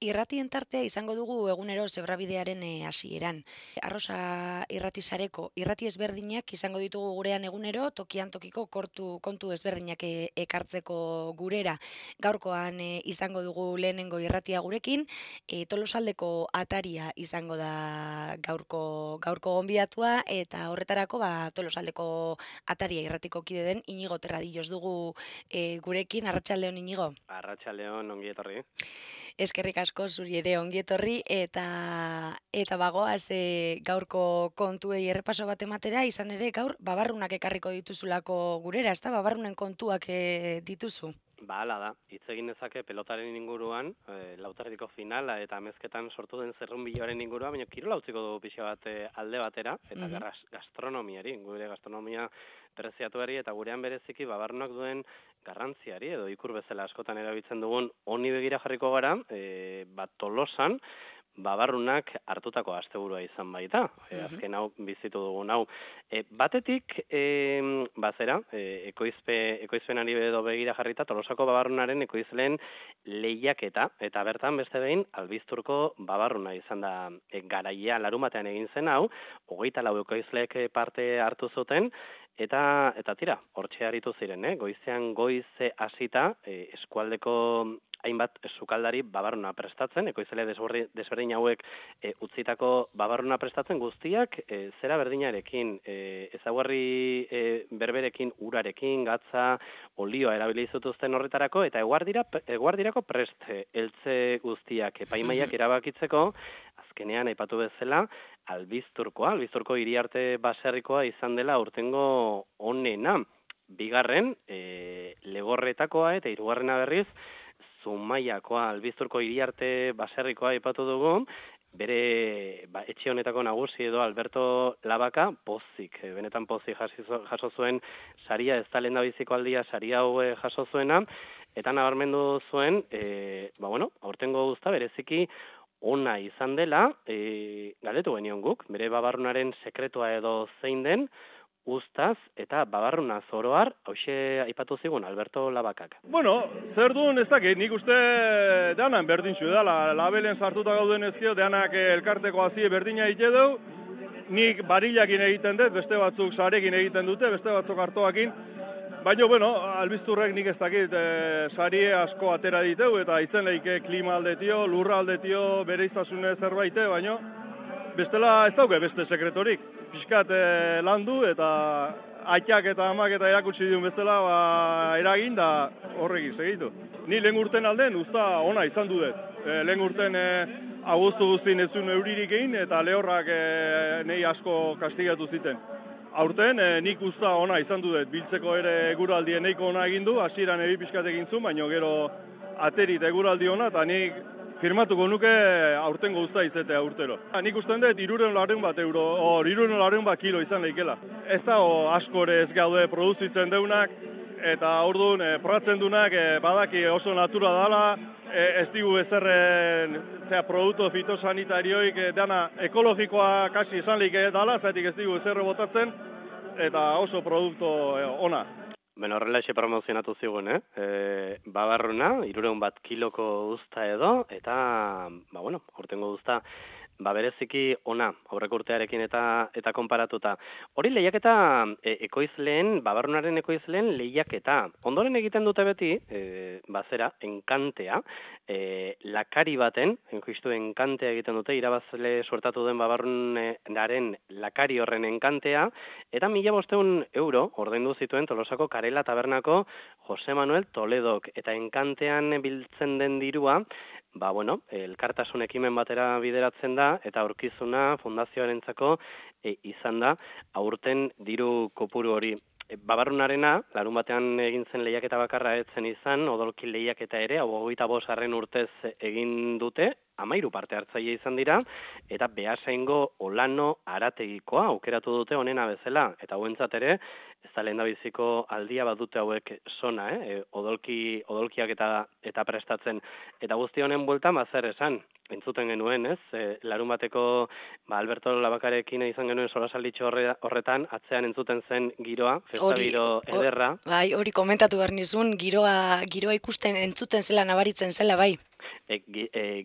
Irratien tartea izango dugu egunero zebrabidearen hasieran. Arrosa irratisareko irrati ezberdinak izango ditugu gurean egunero, tokian tokiko kontu ezberdinak ekartzeko gurera. Gaurkoan izango dugu lehenengo irratia gurekin, Tolosaldeko ataria izango da gaurko gonbidatua, eta horretarako Tolosaldeko ataria irratiko kide den Inigo Terradillos dugu gurekin. Arratsaldeon, Inigo. Arratsaldeon, ongi etorri. Eskerrik asko zuri ere ongi etorri eta bagoaz gaurko kontuei errepaso bat ematera, izan ere gaur babarrunak ekarriko dituzulako gurera, ezta? Babarrunen kontuak dituzu. Hala da, hitz egin dezake pelotaren inguruan, lauterdiko finala eta amezketan sortu den zerrunbiloaren inguruan, baina kirola utziko dugu pixa bat alde batera, eta gastronomiari, gure gastronomia preziatuari eta gurean bereziki babarrunak duen garrantziari, edo ikur bezala askotan erabiltzen dugun honi begira jarriko gara, Tolosan, babarrunak hartutako asteburua izan baita, azken hau bizitu dugun hau. Batetik, ekoizpenari edo begira jarrita, Tolosako babarrunaren ekoizleen lehiaketa, eta bertan beste behin, Albizturko babarruna izan da garaia larumatean egin zen hau, 24 ekoizleek parte hartu zuten, eta tira, hortxe aritu ziren, goizean goize hasita, eskualdeko hainbat sukaldari babarruna prestatzen, ekoizle desberdin hauek utzitako babarruna prestatzen guztiak zera berdinarekin, ezaugarri berberekin, urarekin, gatza, olioa erabili zituzten horretarako, eta eguardirako prest eltze guztiak epaimaiak erabakitzeko, azkenean aipatu bezala, Albizturko hiriarte baserrikoa izan dela aurtengo onena. Bigarren, Legorretakoa eta hirugarrena berriz, Zumaiakoa, Albizturko hiriarte baserrikoa aipatu dugu, bere etxe honetako nagusi edo Alberto Labaka pozik, benetan pozik jaso zuen saria, ez da lehendabiziko aldia saria hau jaso zuena, eta nabarmendu zuen, aurtengo guzta bereziki ona izan dela, galdetu genion guk, bere babarrunaren sekretua edo zein den, Uztaz eta babarruna zoroar, hauxe aipatu zigun Alberto Labakak. Bueno, zer duen ez dakit, nik uste danan berdintxu edala, labelen sartuta gauden ezkio, danak elkarteko hazie berdina egite du, nik barillakin egiten dut, beste batzuk sarekin egiten dute, beste batzuk hartoakin, baina, Albizturrek nik ez dakit, sarie asko atera diteu, eta itzen lehike klima aldetio, lurra aldetio, bere izasune zerbaite, baina, bestela ez dauke beste sekretorik. Piskat landu eta aitak eta amak eta erakutsi diun bezala eragin da horrekin segitu. Ni lehen urten alden usta ona izan dut. Lehen urten abuztu guztien ez zuen euririk egin eta lehorrak nahi asko kastigatu ziten. Aurten nik usta ona izan dut, biltzeko ere eguraldi nahiko ona egin du, hasieran ebi pixkat egin zuen, baina gero aterit eguraldi ona eta nik firmatuko nuke aurtengo usta izatea urtero. Nik usten dut 300 bat kilo izan lehikela. Ez da askore ez gaude produzitzen deunak, eta orduan probatzen dunak badaki oso natura dala, ez digu ezerren produktu fitosanitarioik dana ekologikoa kasi izan lehike dala, zaitik ez digu ezerre botatzen, eta oso produktu ona. Horrela ese promozionatu zigun, babarruna, 300 bat kiloko uzta edo, eta, aurtengo uzta, bereziki ona, aurreko urtearekin eta konparatuta. Hori lehiaketa babarrunaren ekoizleen lehiaketa. Ondoren egiten dute beti, enkantea, lakari baten, justu enkantea egiten dute, irabazle suertatu den babarrunaren lakari horren enkantea, eta 1.500 euro ordaindu zituen Tolosako Karela Tabernako Jose Manuel Toledok, eta enkantean biltzen den dirua, elkartasun ekimen batera bideratzen da, eta aurkizuna fundazioarentzako izan da, aurten diru kopuru hori. Babarrunarena, larun batean egin zen lehiaketa bakarra etzen izan, odolki lehiaketa ere, 25. urtez egin dute, 13 parte hartzaile izan dira, eta Beasaingo Olano Arategikoa aukeratu dute honena bezala, eta hauentzat ere, ez da lehendabiziko aldia badute hauek sona, odolkiak eta prestatzen. Eta guzti honen bueltan, zer esan, entzuten genuen, larun bateko Alberto Labakarekin izan genuen solasalditxo horretan, atzean entzuten zen giroa, festa giro ederra. Hori komentatu behar nizun, giroa ikusten entzuten zela, nabaritzen zela, bai.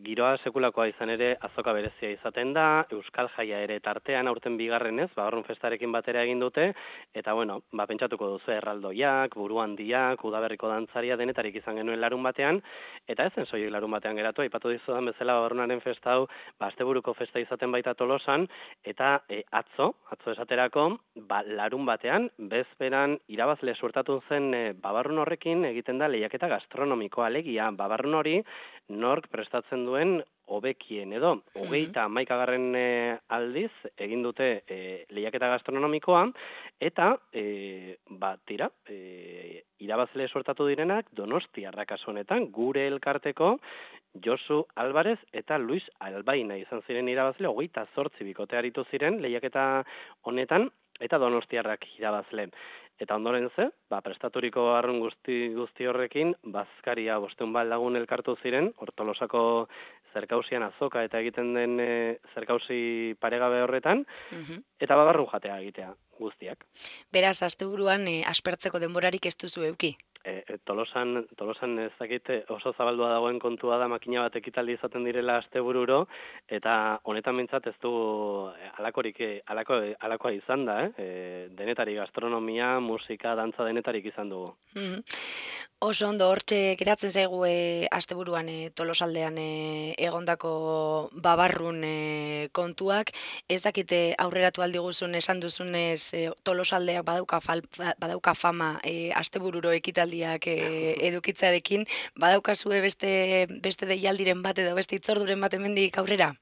Giroa sekulakoa izan ere azoka berezia izaten da, Euskal Jaia ere tartean aurten bigarrenez, Babarrun festarekin batera egin dute, eta bueno, pentsatuko duzu erraldoiak, buru handiak, udaberriko dantzaria denetarik izan genuen larun batean, eta ezen soilik larun batean geratu, aipatu dizudan bezala Babarrunaren festa hau, asteburuko festa izaten baita Tolosan, eta atzo esaterako, larun batean, bezperan irabazle suertatu zen Babarrun horrekin egiten da lehiaketa gastronomikoa, alegia Babarrun hori nork prestatzen duen hobekien edo. 31. Aldiz egin dute lehiaketa gastronomikoa, eta irabazle sortatu direnak Donostiarrak kasu honetan, gure elkarteko Josu Alvarez eta Luis Albaina izan ziren irabazle, 28 bikote aritu ziren lehiaketa honetan, eta Donostiarrak irabazle. Eta ondoren ze, prestaturiko arrun guzti horrekin, bazkaria 500 lagun elkartu ziren, Tolosako zerkausian azoka eta egiten den zerkausi paregabe horretan, eta Babarrun jatea egitea guztiak. Beraz, asteburuan aspertzeko denborarik ez duzu eduki? Tolosan ez dakit oso zabaldua dagoen kontua da makina bat ekitaldi izaten direla astebururo, eta honetan mintzat ez du alakoa izan da, denetarik gastronomia, musika, dantza denetarik izan dugu. Oso ondo, hortxe geratzen zaigu asteburuan Tolosaldean egondako Babarrun kontuak. Ez dakite aurreratu aldiguzun esan duzunez Tolosaldeak badauka fama astebururo ekitaldiak edukitzarekin. Badaukazue beste deialdiren bat edo beste itzorduren bat hemendik aurrera?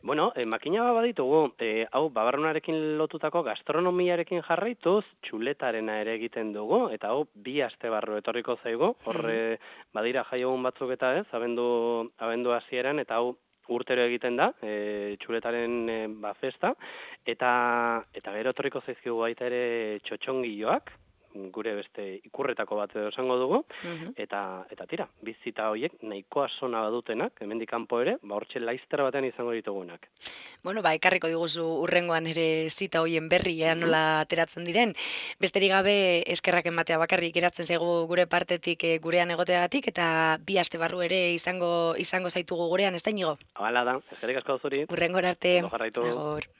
Bueno, makina baditugu, hau Babarrunarekin lotutako gastronomiarekin jarraituz, txuletarena ere egiten dugu, eta hau 2 aste barru etorriko zaigu, horre badira jaiogun batzuk eta ez, abendu hasieran, eta hau urtero egiten da, txuletaren festa, eta gero etorriko zaizkigu baita ere txotxongilloak, gure beste ikurretako bat edo esango dugu, eta tira, bizita horiek nahikoa sona badutenak, hemendik kanpo ere, hortxe laizter batean izango ditugunak. Bueno, ekarriko diguzu urrengoan ere zita hoien berri, nola ateratzen diren. Besterik gabe eskerrak ematea bakarrik geratzen zaigu gure partetik gurean egoteagatik, eta 2 aste barru ere izango zaitugu gurean, ez da Inigo? Hala da, eskerrik asko zuri. Urrengora arte. Ondo jarraitu. Agor.